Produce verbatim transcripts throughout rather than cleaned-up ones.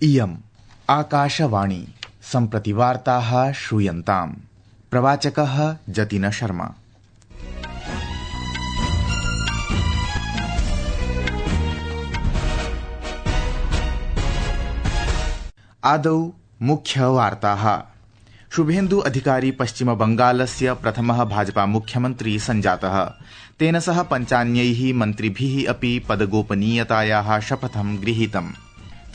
इयम् आकाशवाणी सम्प्रति वार्ताः श्रूयन्ताम्। प्रवाचकः जतिन शर्मा। आदौ मुख्यवार्ताः। शुभेन्दु अधिकारी पश्चिम बंगालस्य प्रथमः भाजपा मुख्यमन्त्री सञ्जातः। तेन सह पञ्चान्यैः मन्त्रिभिः अपि पदगोपनीयतायाः शपथं गृहीतम्।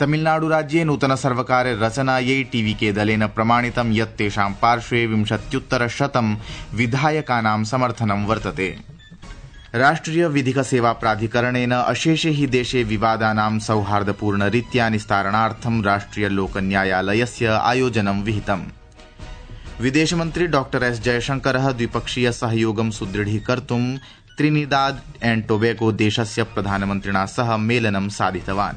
तमिलनाडु राज्ये नूतन सर्वकार रचनायै टीवीके दलेन प्रमाणितं यत् तेषां पार्श्वे विंशत्युत्तर शतं विधायकानां समर्थनं वर्तते। राष्ट्रिय विधिक सेवा प्राधिकरणेन अशेषे हि देशे विवादानां सौहार्दपूर्ण रीत्या निस्तारणार्थं राष्ट्रिय लोक न्यायालयस्य आयोजनं विहितम्। विदेशमन्त्री डॉक्टर एस जयशंकरः द्विपक्षीय सहयोगं सुदृढीकर्तुं त्रिनिदाद एण्ड टोबैगो देशस्य प्रधानमन्त्रिणा सह मेलनं साधितवान्।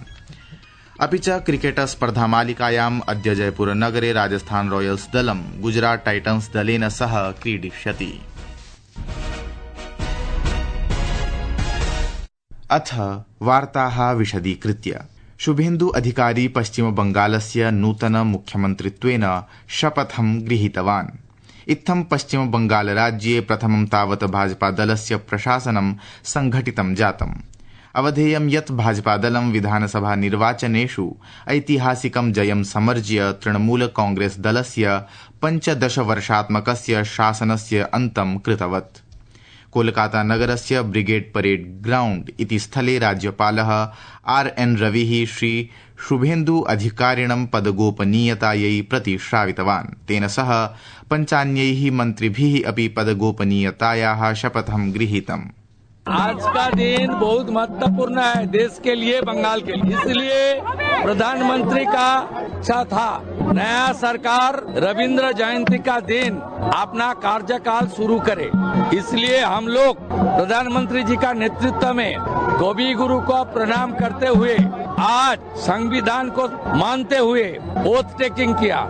अपि च क्रिकेट स्पर्धामालिकायाम् अद्य जयपुर नगरे राजस्थान रॉयल्स दलं गुजरात टाइटन्स दलेन सह क्रीडिष्यति। अथ वार्ताः विशदीकृत्य। शुभेन्दु अधिकारी पश्चिम बंगालस्य नूतन मुख्यमन्त्रित्वेन शपथं गृहीतवान्। इत्थं पश्चिम बंगाल राज्ये प्रथमं तावत् भाजपा दलस्य प्रशासनं संघटितं जातम्। अवधेयं यत् भाजपादलं विधानसभा निर्वाचनेषु ऐतिहासिकं जयं समर्ज्य तृणमूल कांग्रेस दलस्य पञ्चदश वर्षात्मकस्य शासनस्य अन्तं कृतवत्। कोलकाता नगरस्य ब्रिगेड परेड ग्राउण्ड इति स्थले राज्यपालः आर एन रविः श्री शुभेन्दु अधिकारिणं पदगोपनीयतायै प्रतिश्रावितवान्। तेन सह पञ्चान्यैः मन्त्रिभिः अपि पदगोपनीयतायाः शपथं गृहीतम्। आज का दिन बहुत महत्वपूर्ण है देश के लिए, बंगाल के लिए, इसलिए प्रधानमंत्री का इच्छा था नया सरकार रविंद्र जयंती का दिन अपना कार्यकाल शुरू करे। इसलिए हम लोग प्रधानमंत्री जी का नेतृत्व में कवि गुरु को प्रणाम करते हुए आज संविधान को मानते हुए ओथ टेकिंग किया।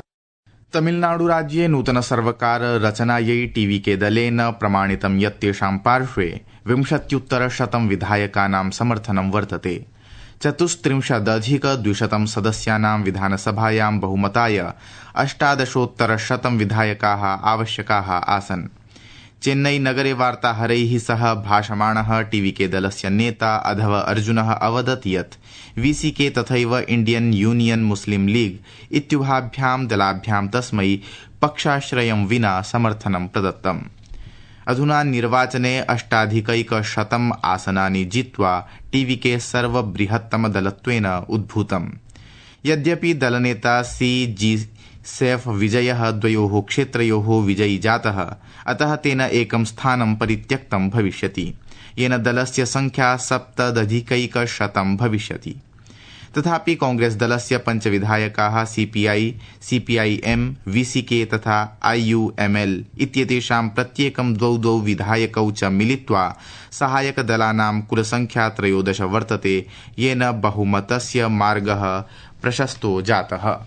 तमिलनाडु राज्ये नूतन सर्वकार रचनायै टीवीके दलेन प्रमाणितं यत् तेषां पार्श्वे विंशत्युत्तर शतं विधायकानां समर्थनं वर्तते। चतुस्त्रिंशदधिक द्विशतं सदस्यानां विधानसभायां बहुमताय अष्टादशोत्तर शतं विधायकाः आवश्यकाः आसन्। चेन्नई नगरे वार्ताहरैः सह भाषमाणः टीवीके दलस्य नेता अधव अर्जुनः अवदत् यत् वीसीके तथैव इंडियन यूनियन मुस्लिम लीग इत्युभाभ्यां दलाभ्यां तस्मै पक्षाश्रयं विना समर्थनं प्रदत्तम्। अधुना निर्वाचने अष्टाधिकैकशतम् आसनानि जित्वा टीवीके सर्वबृहत्तम दलत्वेन उद्भूतम्। यद्यपि दलनेता सी जी सैफ विजयः द्वयोः क्षेत्रयोः विजयी जातः, अतः तेन एकं स्थानं परित्यक्तं भविष्यति, येन दलस्य संख्या सप्तदधिकैकशतं भविष्यति। तथापि कांग्रेस दलस्य पञ्च विधायकाः सीपीआई, सीपीआईएम, वीसीके तथा आईयूएमएल इत्येतेषां प्रत्येकं द्वौ द्वौ विधायकौ च मिलित्वा सहायक दलानां कुलसंख्या त्रयोदश वर्तते, येन बहुमतस्य मार्गः प्रशस्तो जातः।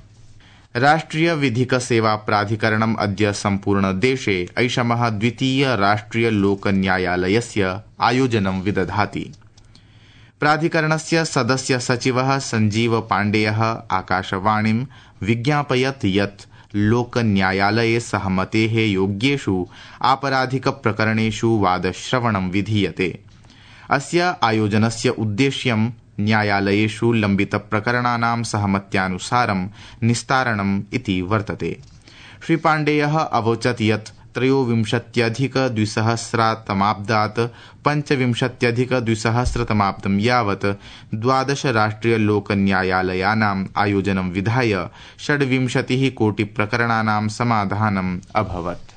राष्ट्रिय विधिक सेवा प्राधिकरणम् अद्य सम्पूर्ण देशे ऐषमः द्वितीय राष्ट्रिय लोक न्यायालयस्य आयोजनं विदधाति। प्राधिकरणस्य सदस्य सचिवः संजीव पाण्डेयः आकाशवाणीं विज्ञापयत् यत् लोक न्यायालये सहमतेः योग्येषु आपराधिक प्रकरणेषु वादश्रवणं विधीयते। अस्य आयोजनस्य उद्देश्यं न्यायालयेषु लम्बित प्रकरणानां सहमत्यानुसारं निस्तारणम् इति वर्तते। श्री पाण्डेयः अवोचत् यत् त्रयोविंशत्यधिक द्विसहस्रतमाब्दात् पञ्चविंशत्यधिक द्विसहस्रतमाब्दं यावत् द्वादश राष्ट्रिय लोक न्यायालयानाम् आयोजनं विधाय षड्विंशतिः कोटि प्रकरणानां समाधानम् अभवत्।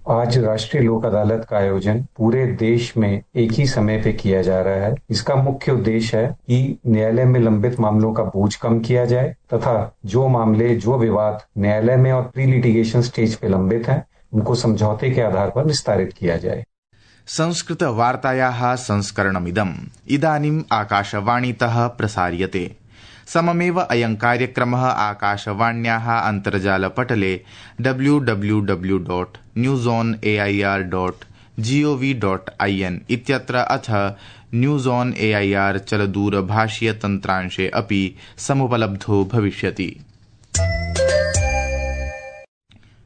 आज राष्ट्रीय लोक अदालत का आयोजन पूरे देश में एक ही समय पे किया जा रहा है। इसका मुख्य उद्देश्य है कि न्यायालय में लंबित मामलों का बोझ कम किया जाए तथा जो मामले, जो विवाद न्यायालय में और प्री लिटिगेशन स्टेज पे लंबित हैं, उनको समझौते के आधार पर निस्तारित किया जाए। संस्कृत वार्तायाः संस्करणमिदम् इदानीम् आकाशवाणीतः प्रसार्यते। सममेव अयं कार्यक्रमः आकाशवाण्याः अन्तर्जालपटले W W W dot news on A I R dot G O V dot I N news on AIR चलदूरभाषीय तन्त्रांशे अपि समुपलब्धो भविष्यति।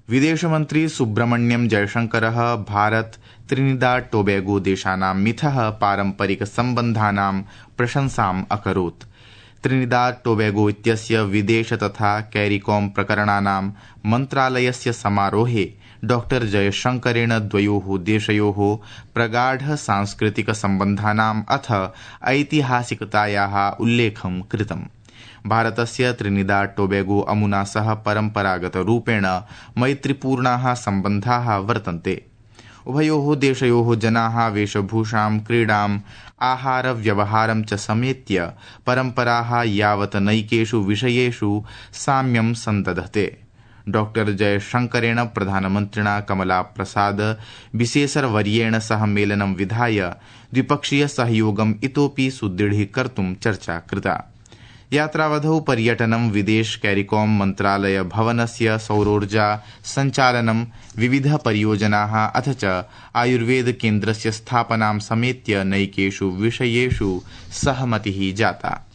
विदेशमन्त्री सुब्रह्मण्यम जयशंकरः भारत त्रिनिदाद टोबैगो देशानां मिथः पारम्परिक सम्बन्धानां प्रशंसाम् अकरोत्। त्रिनिदाद टोबैगो इत्यस्य विदेश तथा कैरिकॉम प्रकरणानां मन्त्रालयस्य समारोहे डॉक्टर जयशंकरेण द्वयोः देशयोः प्रगाढ सांस्कृतिक सम्बन्धानाम् अथ ऐतिहासिकतायाः उल्लेखं कृतम्। भारतस्य त्रिनिदाद टोबैगो अमुना सह परम्परागतरूपेण मैत्रीपूर्णाः सम्बन्धाः वर्तन्ते। उभयोः देशयोः जनाः वेशभूषां, क्रीडाम्, आहार व्यवहारं च समेत्य परम्पराः यावत् नैकेषु विषयेषु साम्यं सन्दधते। डॉक्टर जयशंकरेण प्रधानमन्त्रिणा कमला प्रसाद विशेषरवर्येण सह मेलनं विधाय द्विपक्षीय सहयोगम् इतोपि सुदृढीकर्तुं चर्चा कृता। यात्रावधौ पर्यटनं, विदेश कैरिकॉम मन्त्रालय भवनस्य सौरोर्जा सञ्चालनं, विविध परियोजनाः अथ च आयुर्वेद केन्द्रस्य स्थापनां समेत्य नैकेषु विषयेषु सहमतिः जाता।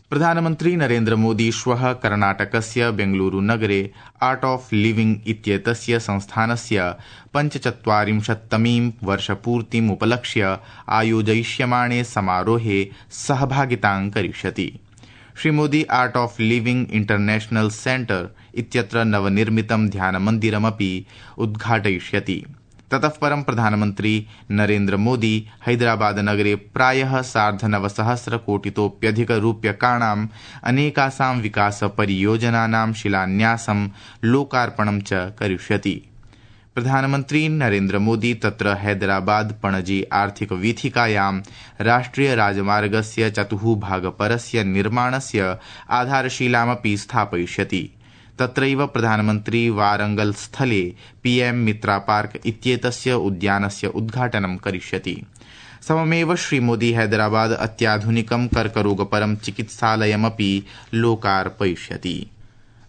प्रधानमन्त्री नरेन्द्र मोदी श्वः कर्णाटकस्य बेंगलुरु नगरे आर्ट ऑफ लिविंग इत्येतस्य संस्थानस्य पञ्चचत्वारिंशत्तमीं वर्षपूर्तिम् उपलक्ष्य आयोजयिष्यमाणे समारोहे सहभागितां करिष्यति। श्रीमोदी art of living international centre इत्यत्र नवनिर्मितं ध्यानमन्दिरमपि उद्घाटयिष्यति। ततः परं प्रधानमन्त्री नरेन्द्र मोदी हैदराबाद नगरे प्रायः सार्धनवसहस्र कोटितोप्यधिक रूप्यकाणाम् अनेकासां विकास परियोजनानां शिलान्यासं, लोकार्पणं च करिष्यति। प्रधानमन्त्री नरेन्द्र मोदी तत्र हैदराबाद पणजी आर्थिक वीथिकायां राष्ट्रिय राजमार्गस्य चतुः भागपरस्य निर्माणस्य आधारशिलामपि स्थापयिष्यति। तत्रैव प्रधानमन्त्री वारंगल स्थले पीएम मित्रा पार्क इत्येतस्य उद्यानस्य उद्घाटनं करिष्यति। सममेव श्रीमोदी हैदराबाद अत्याधुनिकं कर्करोगपरं चिकित्सालयमपि लोकार्पयिष्यति।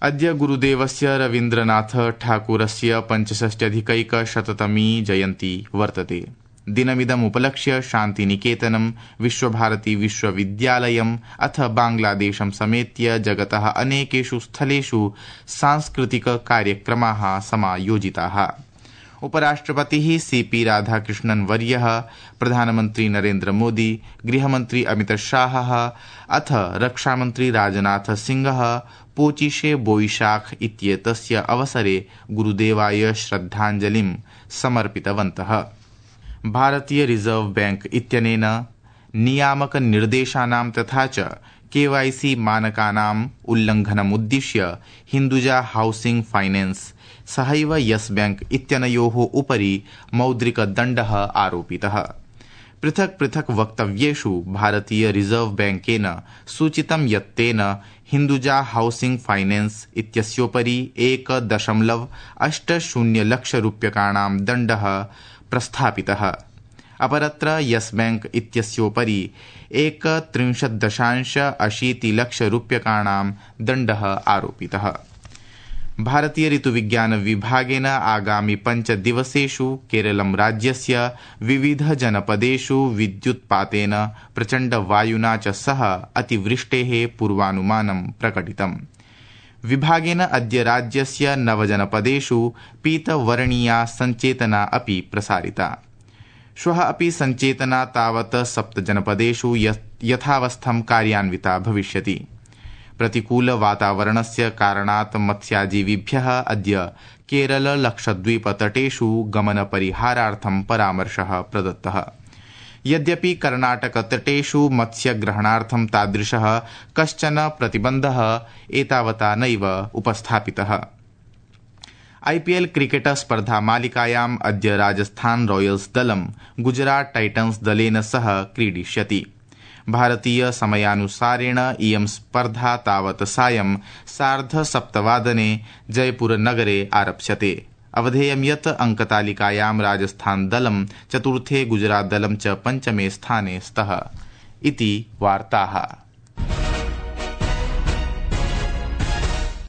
अद्य गुरुदेवस्य रवीन्द्रनाथ ठाकुरस्य पञ्चषष्ट्यधिकैकशततमी जयन्ती वर्तते। दिनमिदमुपलक्ष्य शान्तिनिकेतनं, विश्वभारती विश्वविद्यालयम् अथ बांग्लादेशं समेत्य जगतः अनेकेषु स्थलेषु सांस्कृतिक कार्यक्रमाः समायोजिताः। उपराष्ट्रपतिः सीपी राधाकृष्णन् वर्यः, प्रधानमन्त्री नरेन्द्र मोदी, गृहमन्त्री अमित शाहः अथ रक्षामन्त्री राजनाथ सिंहः पोचिशे बोईशाख इत्येतस्य अवसरे गुरुदेवाय श्रद्धाञ्जलिं समर्पितवन्तः। भारतीय रिजर्व बैंक इत्यनेन नियामक निर्देशानां तथा च केवाईसी मानकानाम् उल्लङ्घनमुद्दिश्य हिन्दुजा हाउसिंग फाइनेंस सहैव यस बैंक इत्यनयोः उपरि मौद्रिकदण्डः आरोपितः। पृथक् पृथक् वक्तव्येषु भारतीय रिजर्व बैंकेन सूचितं यत् तेन हिन्दुजा हाउसिंग फाइनेंस इत्यस्योपरि एक दशमलव अष्ट शून्य लक्ष रूप्यकाणां दण्डः प्रस्थापितः। अपरत्र यस बैंक इत्यस्योपरि एक त्रिंशत् दशांश अशीति लक्ष रूप्यकाणां दण्डः आरोपितः। भारतीय ऋतुविज्ञान विभागेन आगामि पञ्च दिवसेषु केरलं राज्यस्य विविध जनपदेषु विद्युत्पातेन, प्रचण्ड वायुना च सह अतिवृष्टेः पूर्वानुमानं प्रकटितम्। विभागेन अद्य राज्यस्य नवजनपदेषु पीतवर्णीया सञ्चेतना अपि प्रसारिता। श्वः अपि सञ्चेतना तावत् सप्तजनपदेषु यथावस्थं कार्यान्विता भविष्यति। प्रतिकूल वातावरणस्य कारणात् मत्स्याजीविभ्यः अद्य केरल लक्षद्वीप तटेषु गमनपरिहारार्थं परामर्शः प्रदत्तः। यद्यपि कर्णाटक तटेषु मत्स्यग्रहणार्थं तादृशः कश्चन प्रतिबन्धः एतावता नैव उपस्थापितः। आईपीएल क्रिकेट स्पर्धा मालिकायाम् अद्य राजस्थान रॉयल्स दलं गुजरात टाइटन्स दलेन सह क्रीडिष्यति। भारतीय समयानुसारेण इयं स्पर्धा तावत् सायं सार्ध सप्तवादने जयपुर नगरे आरप्स्यते। अवधेयं यत् अंकतालिकायां राजस्थान दलं चतुर्थे, गुजरात दलं च पञ्चमे स्थाने स्तः इति वार्ताः।